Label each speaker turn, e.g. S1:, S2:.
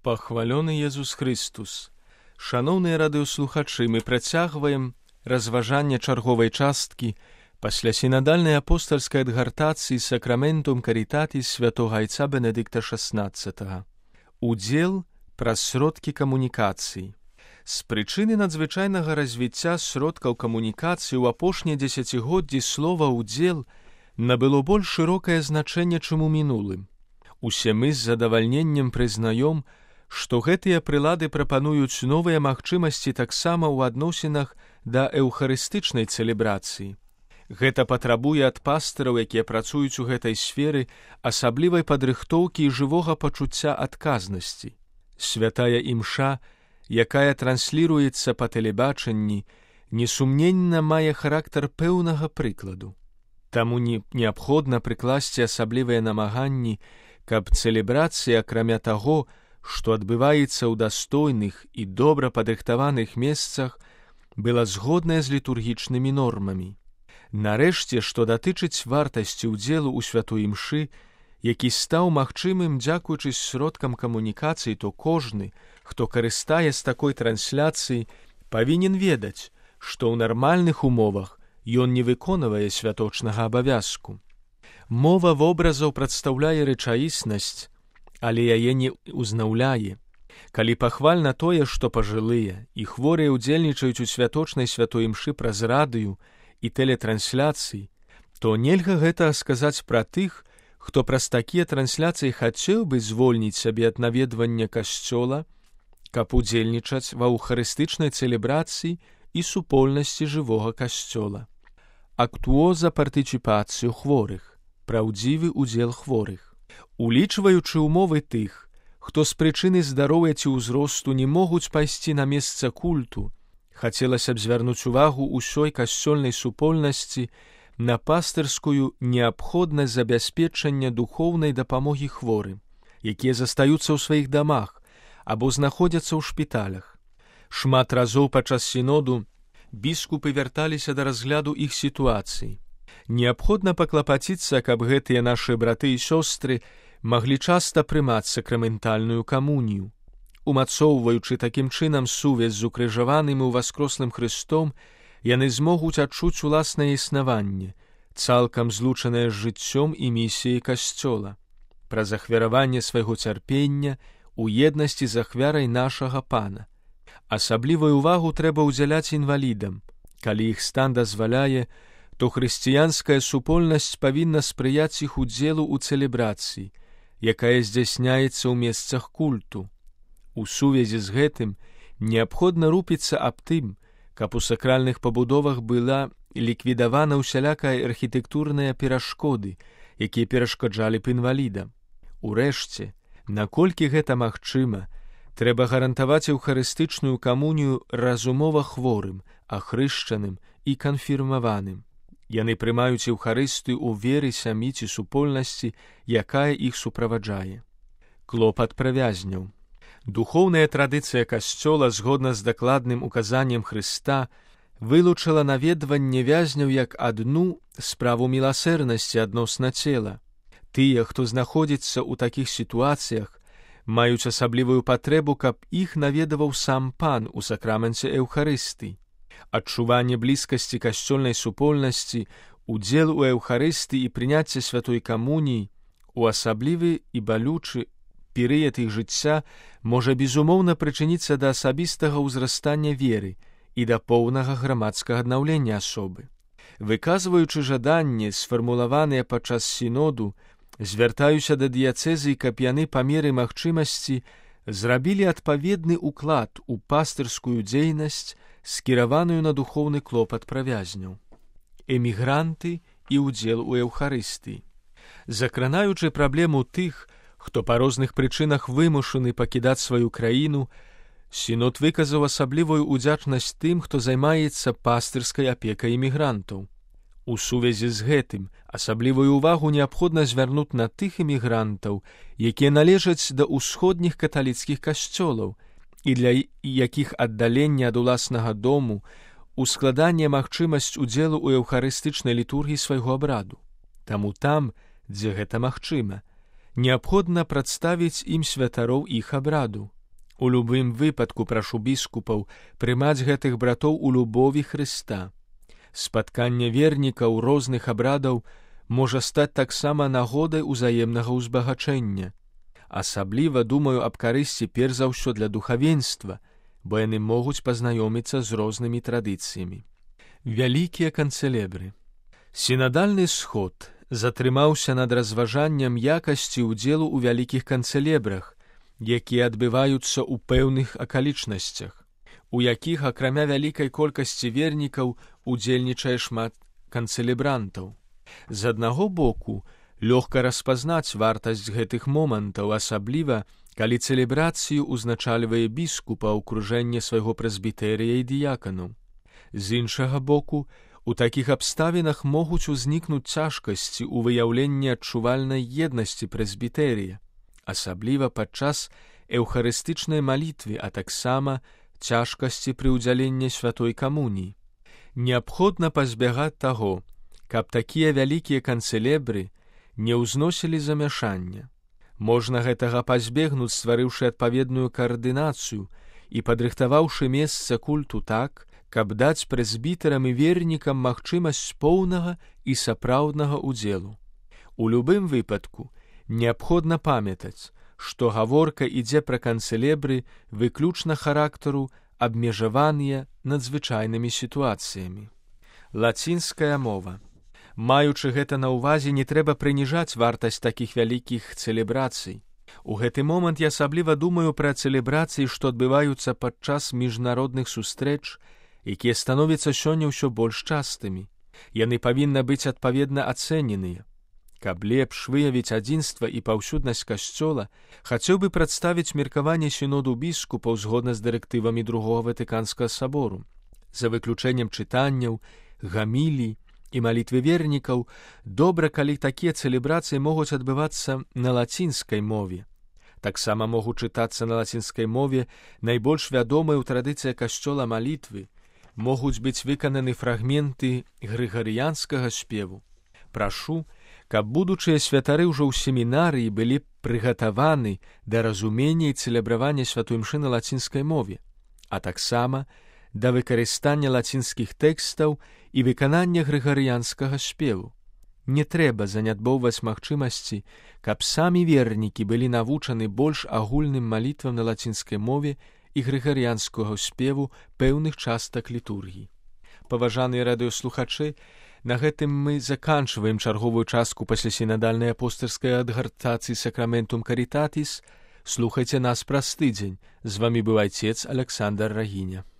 S1: Пахвалёны Езус Христус. Шаноўныя радыёслухачы, мы працягваем разважанне чарговай часткі пасля сінадальнай апостальскай адгартацыі Сакраментум Карітатіс святога айца Бенедыкта XVI. Удзел праз сродкі камунікацыі. З прычыны надзвычайнага развіцця сродкаў камунікацыі ў апошнія дзесяцігоддзі слова «удзел» набыло больш шырокае значэнне, чым у мінулым. Усе мы з задавальненнем прызнаём, што гэтыя прылады прапануюць новыя магчымасці таксама ў адносінах да эўхарыстычнай цэлебрацыі. Гэта патрабуе ад пастыраў, якія працуюць у гэтай сферы, асаблівай падрыхтоўкі і жывога пачуцця адказнасці. Святая імша, якая трансліруецца па тэлебачанні, несумненна мае характар пэўнага прыкладу. Таму неабходна прыкласці асаблівыя намаганні, каб цэлебрацыя, акрамя таго, што адбываецца ў дастойных і добра падрыхтаваных месцах, была згодная з літургічнымі нормамі. Нарэшце, што датычыць вартасці ўдзелу ў святой імшы, які стаў магчымым дзякуючы сродкам камунікацыі, то кожны, хто карыстае з такой трансляцыі, павінен ведаць, што ў нармальных умовах ён не выконвае святочнага абавязку. Мова вобразаў прадстаўляе рэчаіснасць, але яе не ўзнаўляе. Калі пахвальна тое, што пажылыя і хворыя ўдзельнічаюць у святочнай святой імшы праз радыё і тэлетрансляцыі, то нельга гэта сказаць пра тых, хто праз такія трансляцыі хацеў бы звольніць сабе ад наведвання касцёла, каб удзельнічаць ва эўхарыстычнай цэлебрацыі і супольнасці жывога касцёла. Актуоза партыціпацыю хворых, праўдзівы ўдзел хворых. Улічваючы ўмовы тых, хто з прычыны здароўя ці ўзросту не могуць пайсці на месца культу, хацелася б звярнуць увагу ўсёй касцёльнай супольнасці на пастырскую неабходнасць забяспечання духоўнай дапамогі хворым, якія застаюцца ў сваіх дамах або знаходзяцца ў шпіталях. Шмат разоў падчас сіноду біскупы вярталіся да разгляду іх сітуацыі. Неабходна паклапаціцца, каб гэтыя нашы браты і сёстры маглі часта прымаць сакраментальную камунію. Умацоўваючы такім чынам сувязь з укрыжаваным і ўваскрослым Хрыстом, яны змогуць адчуць уласнае існаванне, цалкам злучанае з жыццём і місіяй касцёла, праз ахвяраванне свайго цярпення у еднасці з ахвярай нашага Пана. Асаблівую ўвагу трэба ўдзяляць інвалідам. Калі іх стан дазваляе, то хрысціянская супольнасць павінна спрыяць іх удзелу ў цэлебрацыі, якая здзяйсняецца ў месцах культу. У сувязі з гэтым неабходна рупіцца аб тым, каб у сакральных пабудовах была ліквідавана ўсялякая архітэктурныя перашкоды, якія перашкаджалі б інвалідам. Урэшце, наколькі гэта магчыма, трэба гарантаваць эўхарыстычную камунію разумова хворым, ахрышчаным і канфірмаваным. Яны прымаюць эўхарыстыю ў веры сям'і ці супольнасці, якая іх суправаджае. Клопат пра вязняў. Духоўная традыцыя касцёла, згодна з дакладным указаннем Хрыста, вылучыла наведванне вязняў як адну справу міласэрнасці адносна цела. Тыя, хто знаходзіцца ў такіх сітуацыях, маюць асаблівую патрэбу, каб іх наведаваў сам Пан у сакраменце эўхарыстыі. Адчуванне блізкасці касцёльнай супольнасці, удзел у эўхарыстыі і прыняцце святой камуніі у асаблівы і балючы перыяд іх жыцця можа безумоўна прычыніцца да асабістага ўзрастання веры і да поўнага грамадскага аднаўлення асобы. Выказваючы жаданне, сфармулаваныя падчас сіноду, звяртаюся да дыяцэзы, каб яны па меры магчымасці зрабілі адпаведны ўклад у пастырскую дзейнасць, скіраваную на духоўны клопат пра вязняў. Эмігранты і ўдзел у эўхарыстыі. Закранаючы праблему тых, хто па розных прычынах вымушаны пакідаць сваю краіну, сінод выказаў асаблівую ўдзячнасць тым, хто займаецца пастырскай апекай эмігрантаў. У сувязі з гэтым асаблівую ўвагу неабходна звярнуць на тых эмігрантаў, якія належаць да ўсходніх каталіцкіх касцёлаў і для якіх аддаленне ад уласнага дому ускладанне магчымасць удзелу ў эўхарыстычнай літургіі свайго абраду. Таму там, дзе гэта магчыма, неабходна прадставіць ім святароў іх абраду. У любым выпадку прашу біскупаў прымаць гэтых братоў у любові Хрыста. Спатканне вернікаў розных абрадаў можа стаць таксама нагодай узаемнага ўзбагачэння. Асабліва думаю аб карысці перш за ўсё для духавенства, бо яны могуць пазнаёміцца з рознымі традыцыямі. Вялікія канцэлебры. Сінадальны сход затрымаўся над разважаннем якасці ўдзелу ў вялікіх канцэлебрах, якія адбываюцца ў пэўных акалічнасцях, у якіх, акрамя вялікай колькасці вернікаў, удзельнічае шмат канцэлебрантаў. З аднаго боку, лёгка распазнаць вартасць гэтых момантаў, асабліва, калі цэлебрацыю ўзначальвае біскупа ў акружэнні свайго прэзбітэрыя і дыяканаў. З іншага боку, у такіх абставінах могуць узнікнуць цяжкасці ў выяўленні адчувальнай еднасці прэзбітэрія, асабліва падчас эўхарыстычнай малітвы, а таксама цяжкасці пры ўдзяленні святой камуніі. Неабходна пазбягаць таго, каб такія вялікія канцэлебры не ўзносілі замяшання. Можна гэтага пазбегнуць, стварыўшы адпаведную каардынацыю і падрыхтаваўшы месца культу так, каб даць прэзбітарам і вернікам магчымасць поўнага і сапраўднага ўдзелу. У любым выпадку неабходна памятаць, што гаворка ідзе пра канцэлебры выключна характару, абмежаваныя надзвычайнымі сітуацыямі. Лацінская мова. Маючы гэта на ўвазе, не трэба прыніжаць вартасць такіх вялікіх цэлебрацый. У гэты момант я асабліва думаю пра цэлебрацыі, што адбываюцца падчас міжнародных сустрэч, якія становяцца сёння ўсё больш частымі. Яны павінны быць адпаведна ацэненыя. Каб лепш выявіць адзінства і паўсюднасць касцёла, хацеў бы прадставіць меркаванне сіноду біскупаў згодна з дырэктывамі Другога Ватыканскага сабору. За выключэннем чытанняў, гамілій і малітвы вернікаў, добра, калі такія цэлебрацыі могуць адбывацца на лацінскай мове. Таксама могуць чытацца на лацінскай мове найбольш вядомыя ў традыцыях касцёла малітвы, могуць быць выкананы фрагменты грыгарыянскага спеву. Прашу, каб будучыя святары ўжо ў семінарыі былі прыгатаваны да разумення і цэлебравання святой імшы на лацінскай мове, а таксама да выкарыстання лацінскіх тэкстаў і выканання грыгарыянскага спеву. Не трэба занядбоўваць магчымасці, каб самі вернікі былі навучаны больш агульным малітвам на лацінскай мове і грыгарыянскага спеву пэўных частак літургіі. Паважаныя радыёслухачы, на гэтым мы заканчваем чарговую частку паслясінадальнай апостальскай адгартацыі Сакраментум Карітатіс. Слухайце нас праз тыдзень. З вамі быў айцец Аляксандр Рагіня.